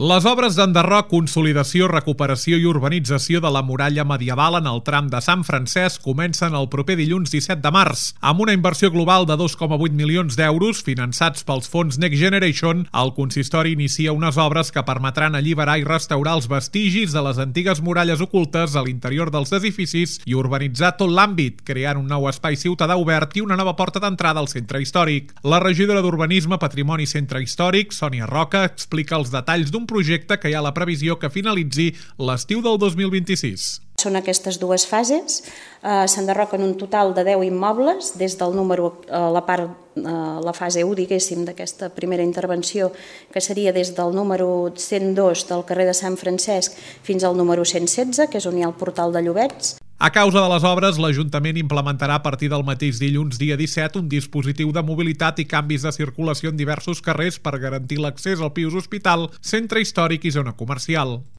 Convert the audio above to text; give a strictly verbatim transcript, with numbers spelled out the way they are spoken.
Les obres d'enderroc, consolidació, recuperació i urbanització de la muralla medieval en el tram de Sant Francesc comencen el proper dilluns disset de març. Amb una inversió global de dos coma vuit milions d'euros, finançats pels fons Next Generation, el consistori inicia unes obres que permetran alliberar i restaurar els vestigis de les antigues muralles ocultes a l'interior dels edificis i urbanitzar tot l'àmbit, creant un nou espai ciutadà obert i una nova porta d'entrada al centre històric. La regidora d'Urbanisme, Patrimoni i Centre Històric, Sònia Roca, explica els detalls d'un projecte que hi ha la previsió que finalitzi l'estiu del dos mil vint-i-sis. Són aquestes dues fases, eh, s'enderroquen un total de deu immobles, des del número, eh, la part, eh, la fase u, diguéssim, d'aquesta primera intervenció, que seria des del número cent dos del carrer de Sant Francesc fins al número cent setze, que és on hi ha el portal de Llobets. A causa de les obres, l'Ajuntament implementarà a partir del mateix dilluns dia disset un dispositiu de mobilitat i canvis de circulació en diversos carrers per garantir l'accés al Pius Hospital, centre històric i zona comercial.